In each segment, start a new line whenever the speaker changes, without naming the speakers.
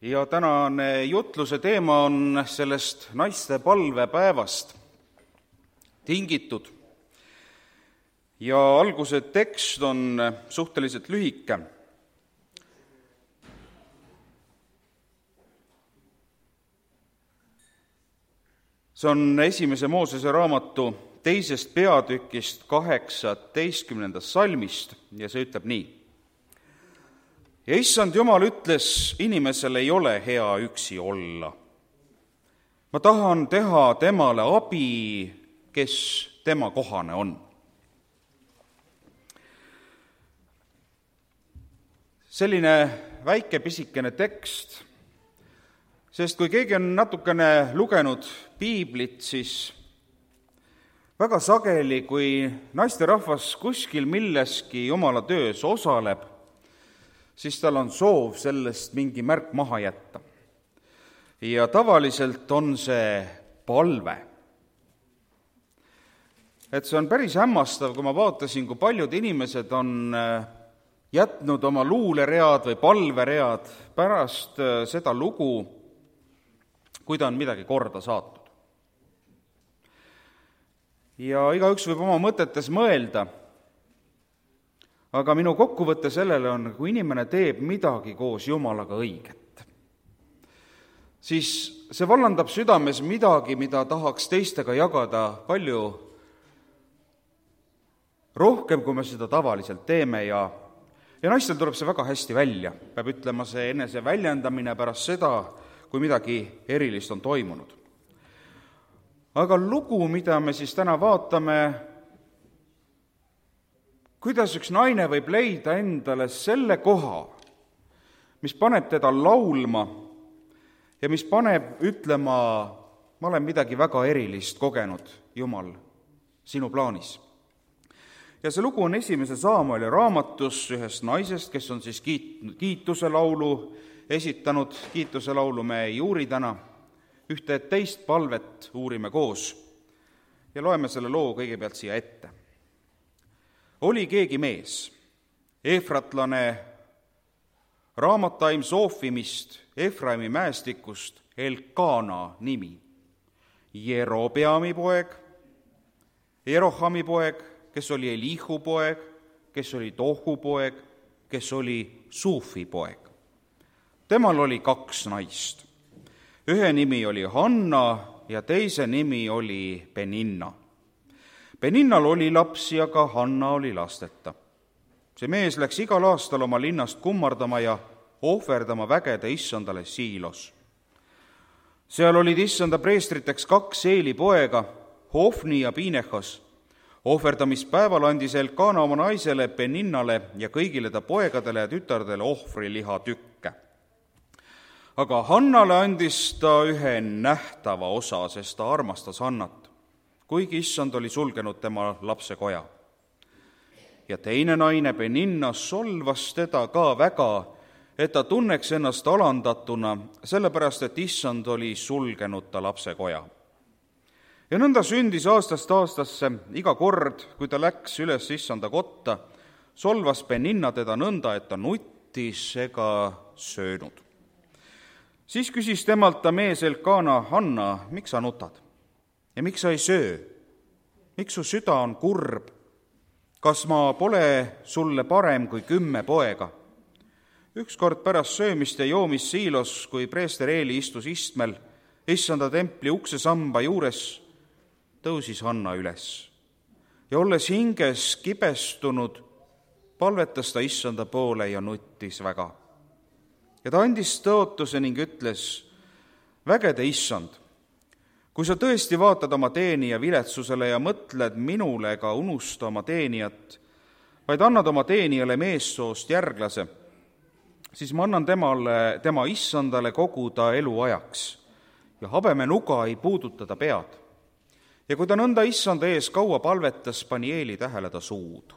Ja tänane jutluse teema on sellest naiste palvepäevast tingitud. Ja alguse tekst on suhteliselt lühike. See on esimese Moosese raamatu 2. peatükist 18. salmist ja see ütleb nii. Ja issand Jumal ütles, inimesel ei ole hea üksi olla. Ma tahan teha temale abi, kes tema kohane on. Selline väike pisikene tekst, sest kui keegi on natukene lugenud piiblit, siis väga sageli, kui naisterahvas kuskil milleski Jumala töös osaleb, siis tal on soov sellest mingi märk maha jätta. Ja tavaliselt on see palve. Et see on päris hämmastav, kui ma vaatasin, kui paljud inimesed on jätnud oma luuleread või palveread pärast seda lugu, kui ta on midagi korda saatnud. Ja igaüks võib oma mõtetes mõelda, aga minu kokkuvõte sellele on, kui inimene teeb midagi koos Jumalaga õiget, siis see vallandab südames midagi, mida tahaks teistega jagada palju rohkem, kui me seda tavaliselt teeme ja naistel tuleb see väga hästi välja. Peab ütlema, see enese väljendamine pärast seda, kui midagi erilist on toimunud. Aga lugu, mida me siis täna vaatame, kuidas üks naine võib leida endale selle koha, mis paneb teda laulma ja mis paneb ütlema, ma olen midagi väga erilist kogenud, Jumal, sinu plaanis. Ja see lugu on 1. Saamueli raamatus ühest naisest, kes on siis kiituse laulu esitanud. Kiituse laulu me ei uuri täna, ühte teist palvet uurime koos ja loeme selle loo kõigepealt siia ette. Oli keegi mees, Efratlane Raamataim Soofimist, Efraimi mäestikust, Elkana nimi, Jerobeami poeg, Jerohami poeg, kes oli Elihu poeg, kes oli Tohu poeg, kes oli Suufi poeg. Temal oli 2 naist. Ühe nimi oli Hanna ja teise nimi oli Peninna. Peninnal oli lapsi, aga Hanna oli lasteta. See mees läks igal aastal oma linnast kummardama ja ohverdama vägede issandale Siilos. Seal olid issanda preestriteks 2 Eeli poega, Hofni ja Pinehas. Ohverdamispäeval andis Elkana oma naisele Peninnale ja kõigile ta poegadele ja tütardele ohvriliha tükke. Aga Hannale andis ta ühe nähtava osa, sest ta armastas Hannat, kuigi issand oli sulgenud tema lapsekoja. Ja teine naine, Peninna, solvas teda ka väga, et ta tunneks ennast alandatuna, sellepärast, et issand oli sulgenud ta lapsekoja. Ja nõnda sündis aastast aastasse, iga kord, kui ta läks üles issanda kotta, solvas Peninna teda nõnda, et ta nuttis ega söönud. Siis küsis temalt ta mees Elkana, Hanna, miks sa nutad? Ja miks sa ei söö? Miks su süda on kurb? Kas ma pole sulle parem kui 10 poega? Ükskord pärast söömist ja joomist Siilos, kui preester Eeli istus istmel, issanda templi uksesamba juures, tõusis Hanna üles. Ja olles hinges kibestunud, palvetas ta issanda poole ja nuttis väga. Ja ta andis tõotuse ning ütles, vägede issand, kui sa tõesti vaatad oma teenija viletsusele ja mõtled minule ega unusta oma teenijat, vaid annad oma teenijale meessoost järglase, siis ma annan tema issandale kogu ta eluajaks ja habemenuga ei puuduta ta pead. Ja kui ta nõnda issanda ees kaua palvetas, pani Eeli tähele ta suud,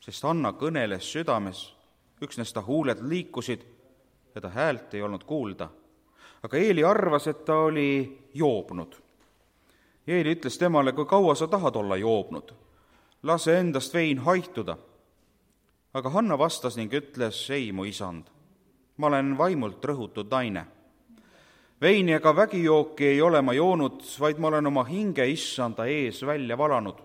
sest Hanna kõneles südames, üksnes ta huuled liikusid ja ta häält ei olnud kuulda. Aga Eeli arvas, et ta oli joobnud. Eeli ütles temale, kui kaua sa tahad olla joobnud? Lase endast vein haihtuda. Aga Hanna vastas ning ütles, ei, mu isand, ma olen vaimult rõhutud naine. Veini ega vägijooki ei ole ma joonud, vaid ma olen oma hinge issanda ees välja valanud.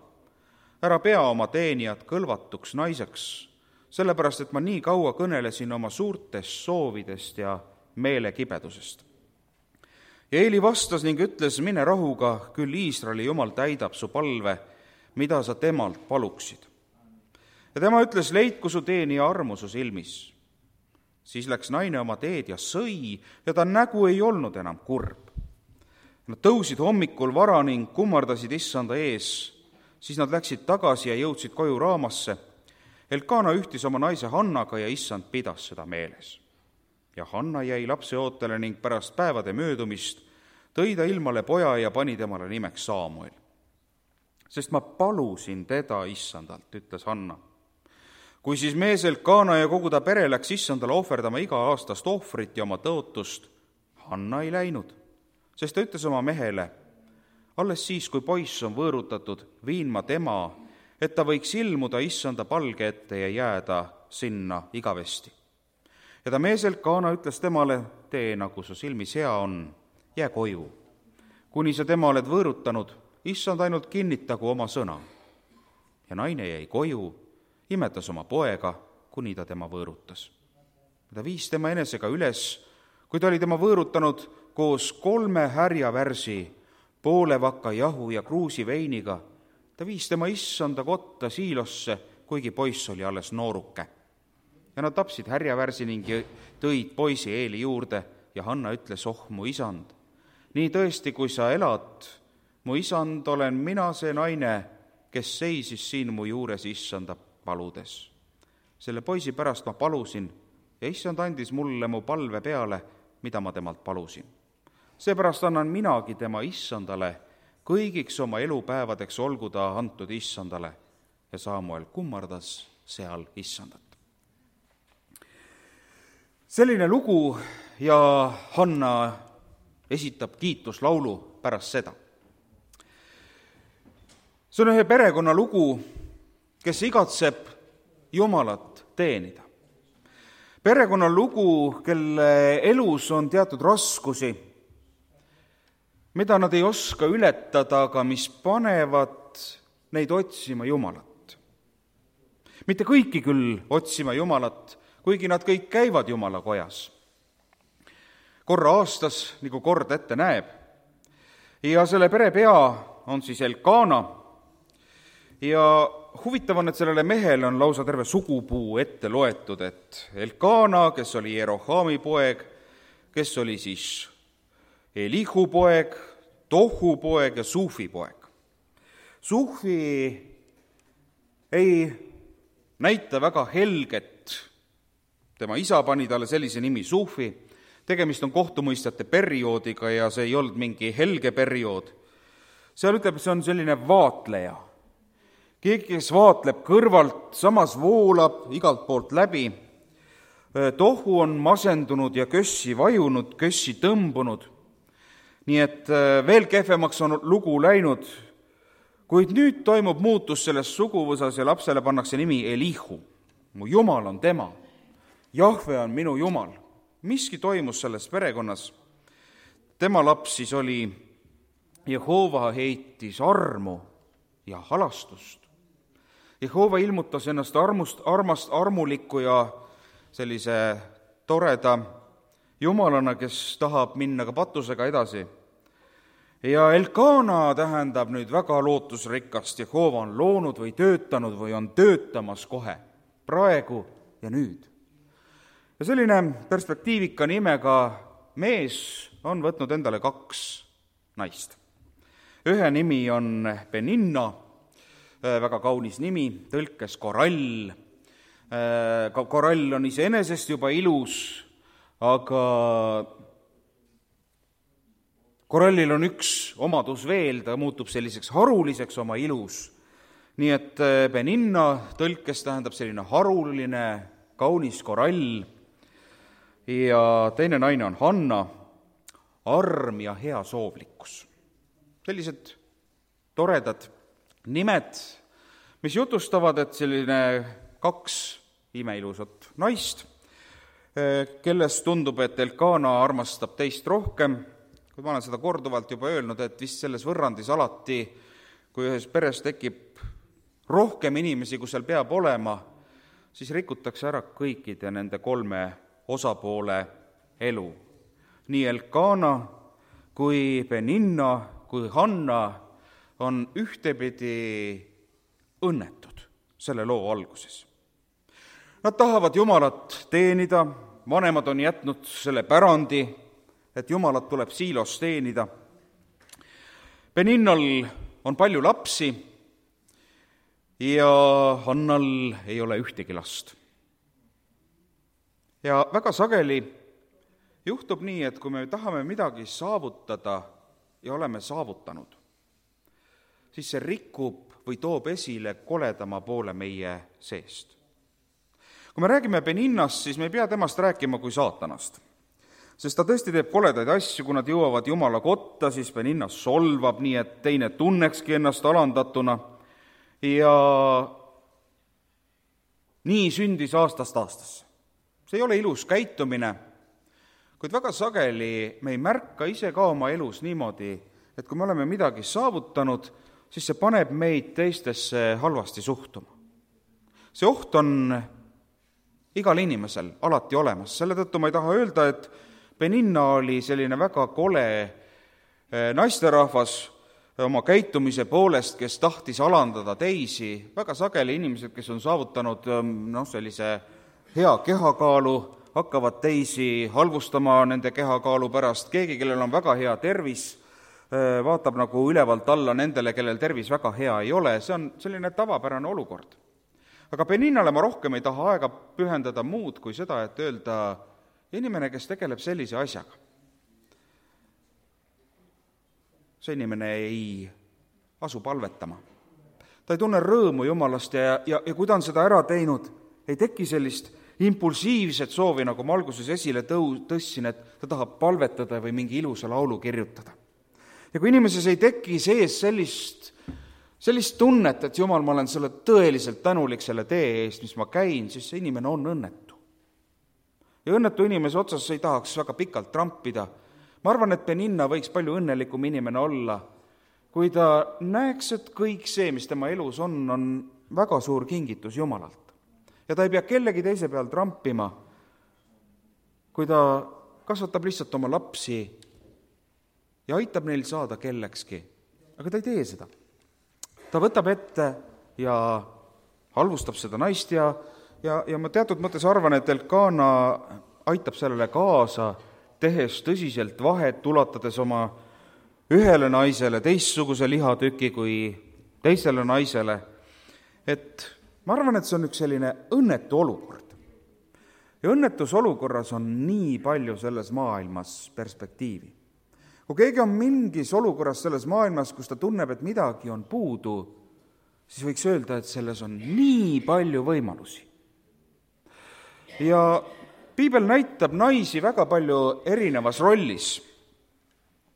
Ära pea oma teenijat kõlvatuks naiseks, sellepärast et ma nii kaua kõnelesin oma suurtest soovidest ja meelekibedusest. Ja Eeli vastas ning ütles, mine rahuga, küll Iisraeli Jumal täidab su palve, mida sa temalt paluksid. Ja tema ütles, leidku su teenija armu su silmis. Siis läks naine oma teed ja sõi ja ta nägu ei olnud enam kurb. Nad tõusid hommikul vara ning kummardasid issanda ees. Siis nad läksid tagasi ja jõudsid koju Raamasse. Elkana ühtis oma naise Hannaga ja issand pidas seda meeles. Ja Hanna jäi lapse ootele ning pärast päevade möödumist tõi ta ilmale poja ja pani temale nimeks Saamuel. Sest ma palusin teda issandalt, ütles Hanna. Kui siis mees Elkana ja kogu ta pere läks issandale ohverdama iga-aastast ohvrit ja oma tõotust, Hanna ei läinud, sest ta ütles oma mehele, alles siis, kui poiss on võõrutatud, viin ma tema, et ta võiks ilmuda issanda palge ette ja jääda sinna igavesti. Ja ta mees Elkana ütles temale, tee nagu su silmis hea on, jää koju. Kuni sa tema oled võõrutanud, issand ainult kinnitagu oma sõna. Ja naine jäi koju, imetas oma poega, kuni ta tema võõrutas. Ta viis tema enesega üles, kui ta oli tema võõrutanud koos 3 härjavärsi, poole vaka jahu ja kruusi veiniga. Ta viis tema issanda kotta Siilosse, kuigi poiss oli alles nooruke. Ja nad tapsid härjavärsi ning tõid poisi Eeli juurde ja Hanna ütles, mu isand, nii tõesti, kui sa elad, mu isand, olen mina see naine, kes seisis siin mu juures issanda paludes. Selle poisi pärast ma palusin ja issand andis mulle mu palve peale, mida ma temalt palusin. Seepärast annan minagi tema issandale, kõigiks oma elupäevadeks olgu ta antud issandale. Ja Saamuel kummardas seal issandat. Selline lugu ja Hanna esitab kiituslaulu pärast seda. See on ühe perekonna lugu, kes igatseb Jumalat teenida. Perekonna lugu, kelle elus on teatud raskusi, mida nad ei oska ületada, aga mis panevad neid otsima Jumalat. Mitte kõiki küll otsima Jumalat, kuigi nad kõik käivad Jumala kojas. Korra aastas, nagu kord ette näeb. Ja selle pere pea on siis Elkana. Ja huvitav on, et sellele mehele on lausa terve sugupuu ette loetud, et Elkana, kes oli Jerohami poeg, kes oli siis Elihu poeg, Tohu poeg ja Sufi poeg. Sufi ei näita väga helget, tema isa pani talle sellise nimi Sufi, tegemist on kohtumõistjate perioodiga ja see ei olnud mingi helge periood. Seal ütleb, see on selline vaatleja. Keegi, kes vaatleb kõrvalt, samas voolab igalt poolt läbi. Tohu on masendunud ja kössi vajunud, kössi tõmbunud. Nii et veel kehvemaks on lugu läinud, kuid nüüd toimub muutus selles suguvõsas ja lapsele pannakse nimi Elihu. Mu Jumal on tema. Jahve on minu Jumal. Miski toimus selles perekonnas. Tema laps siis oli Jehova heitis armu ja halastust. Jehova ilmutas ennast armuliku ja sellise toreda Jumalana, kes tahab minna ka patusega edasi. Ja Elkana tähendab nüüd väga lootusrikast. Jehova on loonud või töötanud või on töötamas kohe, praegu ja nüüd. Ja selline perspektiivika nimega mees on võtnud endale 2 naist. Ühe nimi on Peninna, väga kaunis nimi, tõlkes korall. Korall on iseenesest juba ilus, aga korallil on üks omadus veel, ta muutub selliseks haruliseks oma ilus. Nii et Peninna tõlkes tähendab selline haruline, kaunis korall. Ja teine naine on Hanna, arm ja hea soovlikkus. Sellised toredad nimed, mis jutustavad, et selline 2 imeilusat naist kellest tundub, et Elkana armastab teist rohkem, kui ma olen seda korduvalt juba öelnud, et vist selles võrrandis alati, kui ühes peres tekib rohkem inimesi, kui seal peab olema, siis rikutakse ära kõikide nende 3 osapoole elu. Nii Elkana kui Peninna kui Hanna on ühtepidi õnnetud selle loo alguses. Nad tahavad Jumalat teenida, vanemad on jätnud selle pärandi, et Jumalat tuleb Siilos teenida. Peninnal on palju lapsi ja Hannal ei ole ühtegi last. Ja väga sageli juhtub nii, et kui me tahame midagi saavutada ja oleme saavutanud, siis see rikub või toob esile koledama poole meie seest. Kui me räägime Peninnast, siis me ei pea temast rääkima kui saatanast, sest ta tõesti teeb koledaid asju, kui nad jõuavad Jumala kotta, siis Peninna solvab nii, et teine tunnekski ennast alandatuna ja nii sündis aastast aastasse. See ei ole ilus käitumine, kuid väga sageli me ei märka ise ka oma elus niimoodi, et kui me oleme midagi saavutanud, siis see paneb meid teistesse halvasti suhtuma. See oht on igal inimesel alati olemas, selle tõttu ma ei taha öelda, et Peninna oli selline väga kole naisterahvas oma käitumise poolest, kes tahtis alandada teisi. Väga sageli inimesed, kes on saavutanud sellise hea kehakaalu, hakkavad teisi halvustama nende kehakaalu pärast. Keegi, kellel on väga hea tervis, vaatab nagu ülevalt alla nendele, kellel tervis väga hea ei ole. See on selline tavapärane olukord. Aga Peninnale ma rohkem ei taha aega pühendada muud kui seda, et öelda inimene, kes tegeleb sellise asjaga. See inimene ei asu palvetama. Ta ei tunne rõõmu Jumalast ja kui ta on seda ära teinud, ei teki sellist impulsiivset soovi, nagu ma alguses esile tõssin, et ta tahab palvetada või mingi ilusa laulu kirjutada. Ja kui inimeses ei teki sees sellist tunnet, et Jumal, ma olen sulle tõeliselt tänulik selle tee eest, mis ma käin, siis see inimene on õnnetu. Ja õnnetu inimese otsas ei tahaks väga pikalt trampida. Ma arvan, et Peninna võiks palju õnnelikum inimene olla, kui ta näeks, et kõik see, mis tema elus on väga suur kingitus Jumalalt. Ja ta ei pea kellegi teise peal trampima, kui ta kasvatab lihtsalt oma lapsi ja aitab neil saada kellekski. Aga ta ei tee seda. Ta võtab ette ja halvustab seda naist ja ma teatud mõttes arvan, et Elkana aitab sellele kaasa, tehes tõsiselt vahet, ulatades oma ühele naisele teistsuguse lihatüki kui teisele naisele. Et ma arvan, et see on üks selline õnnetu olukord. Ja õnnetus olukorras on nii palju selles maailmas perspektiivi. Kui keegi on mingis olukorras selles maailmas, kus ta tunneb, et midagi on puudu, siis võiks öelda, et selles on nii palju võimalusi. Ja piibel näitab naisi väga palju erinevas rollis.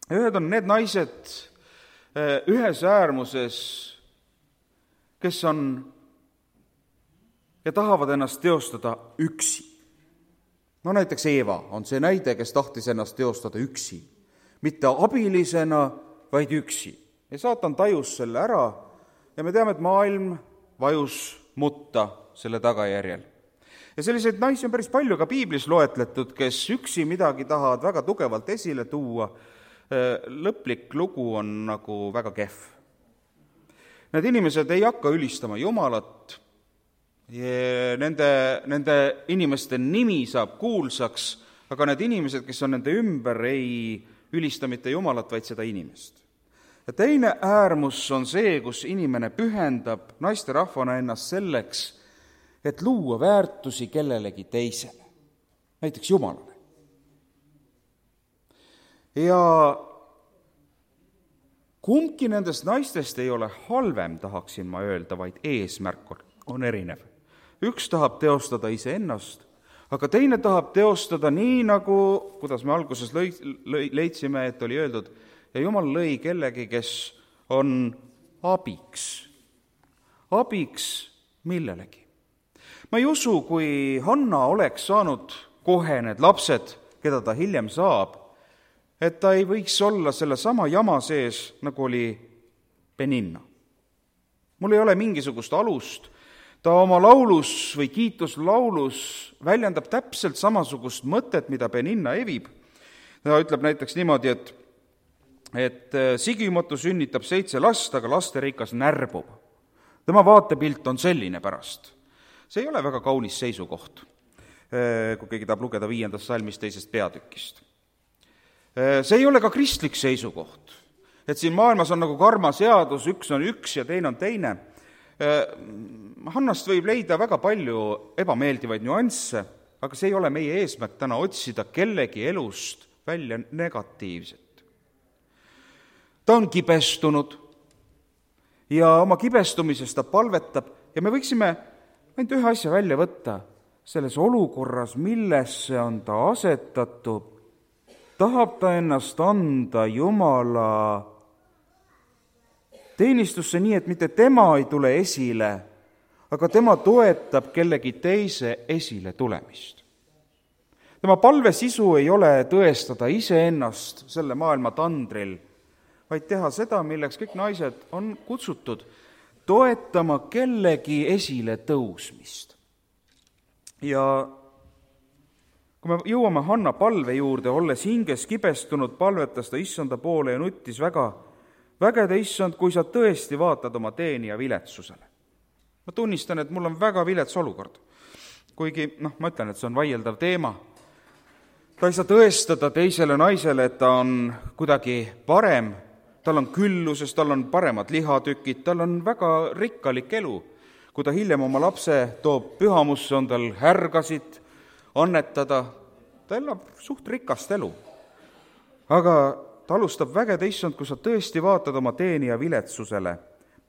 Ühed on need naised ühes äärmuses, kes on ja tahavad ennast teostada üksi. No näiteks Eeva on see näide, kes tahtis ennast teostada üksi. Mitte abilisena, vaid üksi. Ja saatan tajus selle ära ja me teame, et maailm vajus mutta selle tagajärjel. Ja selliseid naisi on päris palju ka piiblis loetletud, kes üksi midagi tahavad väga tugevalt esile tuua. Lõplik lugu on nagu väga kehv. Need inimesed ei hakka ülistama Jumalat, nende inimeste nimi saab kuulsaks, aga need inimesed, kes on nende ümber, ei ülista mitte Jumalat, vaid seda inimest. Ja teine äärmus on see, kus inimene pühendab naisterahvana ennast selleks, et luua väärtusi kellelegi teisele, näiteks Jumalale. Ja kumbki nendest naistest ei ole halvem, tahaksin ma öelda, vaid eesmärk on erinev. Üks tahab teostada iseennast, aga teine tahab teostada nii, nagu, kuidas me alguses leidsime, et oli öeldud, ja Jumal lõi kellegi, kes on abiks. Abiks millelegi. Ma ei usu, kui Hanna oleks saanud kohe need lapsed, keda ta hiljem saab, et ta ei võiks olla selle sama jama sees, nagu oli Peninna. Mul ei ole mingisugust alust, ta oma laulus või kiituslaulus väljendab täpselt samasugust mõtet, mida Peninna evib. Ta ütleb näiteks niimoodi, et Sigimatu sünnitab 7 last, aga lasterikas närbub. Tema vaatepilt on selline pärast. See ei ole väga kaunis seisukoht, kui keegi tahab lugeda 5. salmist 2. peatükist. See ei ole ka kristlik seisukoht, et siin maailmas on nagu karmaseadus, üks on üks ja teine on teine. Hannast võib leida väga palju ebameeldivaid nüansse, aga see ei ole meie eesmärk täna otsida kellegi elust välja negatiivset. Ta on kibestunud ja oma kibestumises ta palvetab ja me võiksime ainult ühe asja välja võtta selles olukorras, millesse on ta asetatud. Tahab ta ennast anda Jumala teenistusse nii, et mitte tema ei tule esile, aga tema toetab kellegi teise esile tulemist. Tema palve sisu ei ole tõestada iseennast selle maailma tandril, vaid teha seda, milleks kõik naised on kutsutud, toetama kellegi esile tõusmist. Ja kui me jõuame Hanna palve juurde, olles hinges kibestunud, palvetas ta issanda poole ja nuttis väga, vägede issand, kui sa tõesti vaatad oma teenija viletsusele. Ma tunnistan, et mul on väga vilets olukord. Kuigi, ma ütlen, et see on vaieldav teema. Ta ei saa tõestada teisele naisele, et ta on kuidagi parem, tal on külluses, tal on paremad lihatükid, tal on väga rikkalik elu. Kui ta hiljem oma lapse toob pühamusse, on tal härgasid annetada, ta elab suht rikast elu. Aga ta alustab vägede issand, kui sa tõesti vaatad oma teenija viletsusele,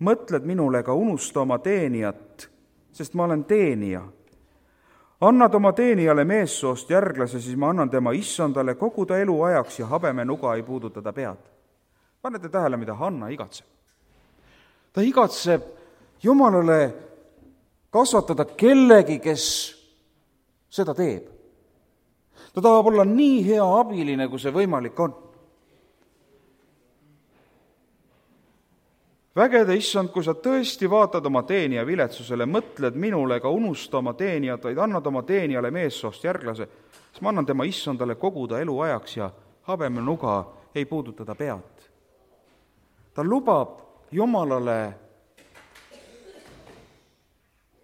mõtled minule ega unusta oma teenijat, sest ma olen teenija. Annad oma teenijale meessoost järglase, siis ma annan tema issandale kogu ta elu ajaks ja habemenuga ei puuduta ta pead. Panete tähele, mida Hanna igatseb. Ta igatseb Jumalale kasvatada kellegi, kes seda teeb. Ta tahab olla nii hea abiline, kui see võimalik on. Vägede issand, kui sa tõesti vaatad oma teenija viletsusele, mõtled minule ega unusta oma teenijat, vaid annad oma teenijale meessoost järglase, siis ma annan tema issandale kogu ta elu ajaks ja habemenuga ei puuduta ta pead. Ta lubab Jumalale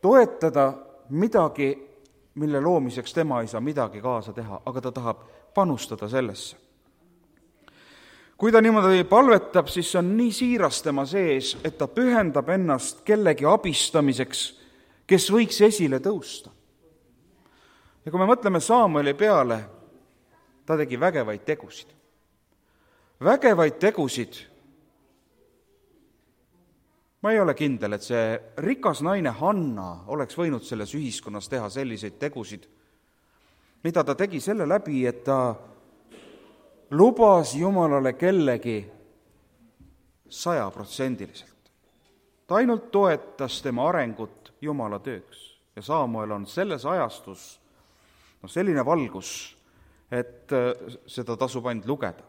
toetada midagi, mille loomiseks tema ei saa midagi kaasa teha, aga ta tahab panustada sellesse. Kui ta niimoodi palvetab, siis on nii siiras tema sees, et ta pühendab ennast kellegi abistamiseks, kes võiks esile tõusta. Ja kui me mõtleme Samueli peale, ta tegi vägevaid tegusid. Vägevaid tegusid. Ma ei ole kindel, et see rikas naine Hanna oleks võinud selles ühiskonnas teha selliseid tegusid, mida ta tegi selle läbi, et ta lubas Jumalale kellegi 100%. Ta ainult toetas tema arengut Jumala tööks. Ja Samuel on selles ajastus selline valgus, et seda tasub ainult lugeda.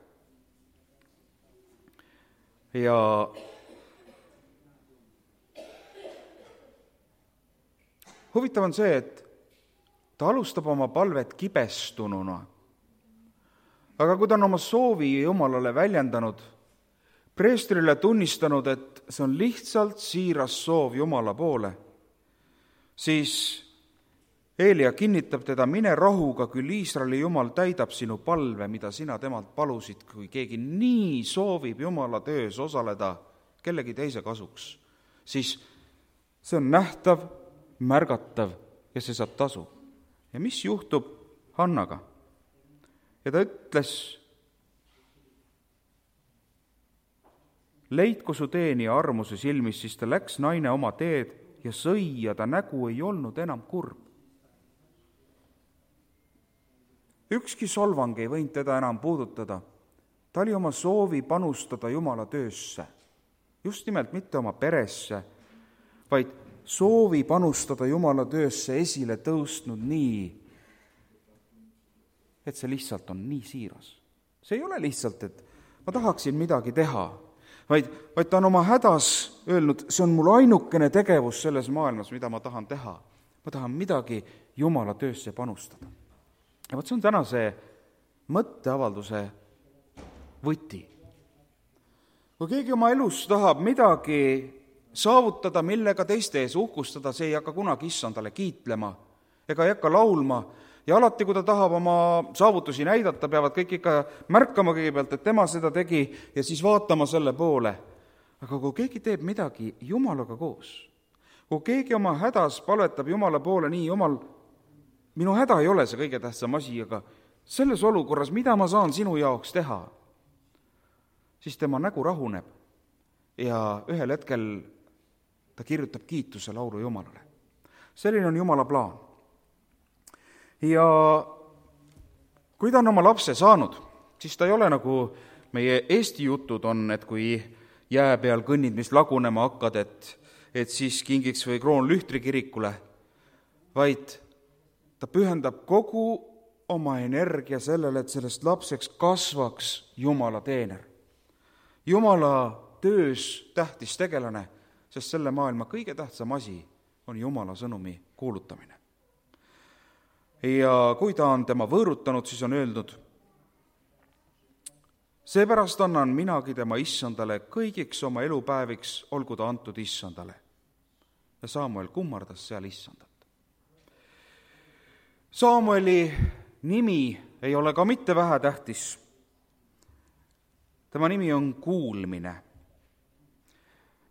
Ja huvitav on see, et ta alustab oma palvet kibestununa. Aga kui ta on oma soovi Jumalale väljendanud, preestrile tunnistanud, et see on lihtsalt siiras soov Jumala poole, siis Eelia kinnitab teda, mine rahuga, küll Iisraeli Jumal täidab sinu palve, mida sina temalt palusid, kui keegi nii soovib Jumala töös osaleda kellegi teise kasuks, siis see on nähtav, märgatav ja see saab tasu. Ja mis juhtub Hannaga? Ja ta ütles, leidku su teenija armuse silmis, siis ta läks naine oma teed ja sõi ja ta nägu ei olnud enam kurb. Ükski solvang ei võinud teda enam puudutada. Ta oli oma soovi panustada Jumala töösse. Just nimelt mitte oma peresse, vaid soovi panustada Jumala töösse esile tõustnud nii, et see lihtsalt on nii siiras. See ei ole lihtsalt, et ma tahaksin midagi teha, vaid ta on oma hädas öelnud, see on mul ainukene tegevus selles maailmas, mida ma tahan teha. Ma tahan midagi Jumala töösse panustada. Ja see on tänase mõtteavalduse võti. Kui keegi oma elus tahab midagi saavutada, millega teiste ees uhkustada, see ei hakka kunagi issandale kiitlema ega ei hakka laulma. Ja alati, kui ta tahab oma saavutusi näidata, peavad kõik ikka märkama kõigepealt, et tema seda tegi ja siis vaatama selle poole. Aga kui keegi teeb midagi Jumalaga koos, kui keegi oma hädas palvetab Jumala poole, nii Jumal, minu häda ei ole see kõige tähtsam asi, aga selles olukorras, mida ma saan sinu jaoks teha, siis tema nägu rahuneb ja ühel hetkel ta kirjutab kiituse laulu Jumalale. Selline on Jumala plaan. Ja kui ta on oma lapse saanud, siis ta ei ole nagu meie Eesti jutud on, et kui jää peal kõnnid, mis lagunema hakkad, et siis kingiks või Kroonlühtri kirikule, vaid ta pühendab kogu oma energia sellele, et sellest lapseks kasvaks Jumala teener. Jumala töös tähtis tegelane, sest selle maailma kõige tähtsam asi on Jumala sõnumi kuulutamine. Ja kui ta on tema võõrutanud, siis on öeldud, seepärast annan minagi tema issandale kõigiks oma elupäeviks, olgu ta antud issandale. Ja Saamuel kummardas seal issandat. Saamueli nimi ei ole ka mitte vähetähtis. Tema nimi on kuulmine.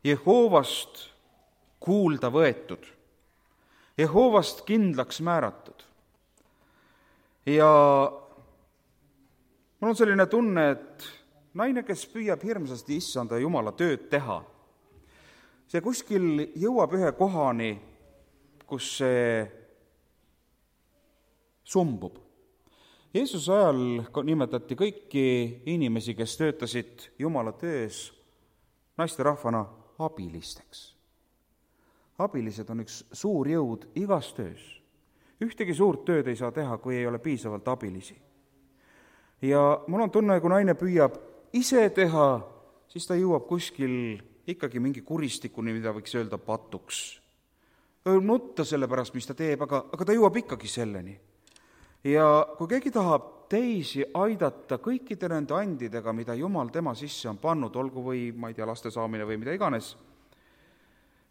Jehoovast kuulda võetud. Jehoovast kindlaks määratud. Ja mul on selline tunne, et naine, kes püüab hirmsasti issanda Jumala tööd teha, see kuskil jõuab ühe kohani, kus see sumbub. Jeesuse ajal nimetati kõiki inimesi, kes töötasid Jumala töös naisterahvana abilisteks. Abilised on üks suur jõud igas töös. Ühtegi suurt tööd ei saa teha, kui ei ole piisavalt abilisi. Ja mul on tunne, kui naine püüab ise teha, siis ta jõuab kuskil ikkagi mingi kuristikuni, mida võiks öelda patuks. Ta võib nutta selle pärast, mis ta teeb, aga ta jõuab ikkagi selleni. Ja kui keegi tahab teisi aidata kõikide nende andidega, mida Jumal tema sisse on pannud, olgu või, ma ei tea, laste saamine või mida iganes,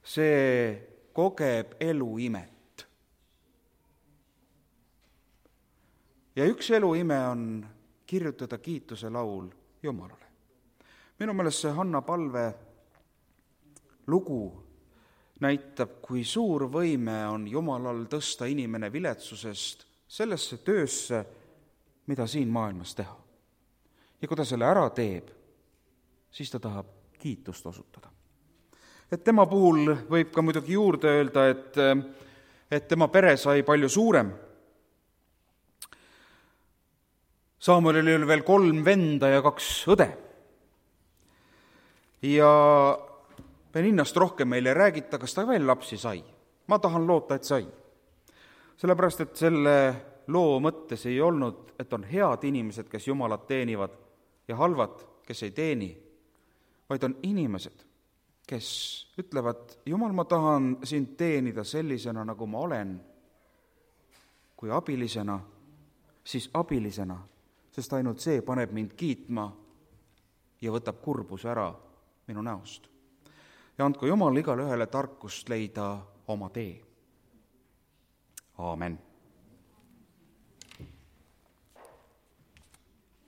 see kogeb eluimet. Ja üks eluime on kirjutada kiituse laul Jumalale. Minu meelest see Hanna Palve lugu näitab, kui suur võime on Jumalal tõsta inimene viletsusest sellesse töösse, mida siin maailmas teha. Ja kui ta selle ära teeb, siis ta tahab kiitust osutada. Et tema puhul võib ka muidugi juurde öelda, et tema pere sai palju suurem. Saamuelil oli veel 3 venda ja 2 õde. Ja Peninnast rohkem meile ei räägita, kas ta veel lapsi sai. Ma tahan loota, et sai. Sellepärast, et selle loo mõttes ei olnud, et on head inimesed, kes Jumalat teenivad ja halvad, kes ei teeni, vaid on inimesed, kes ütlevad, Jumal, ma tahan sind teenida sellisena, nagu ma olen, kui abilisena, siis abilisena, sest ainult see paneb mind kiitma ja võtab kurbuse ära minu näost. Ja andku Jumal igale ühele tarkust leida oma tee. Aamen.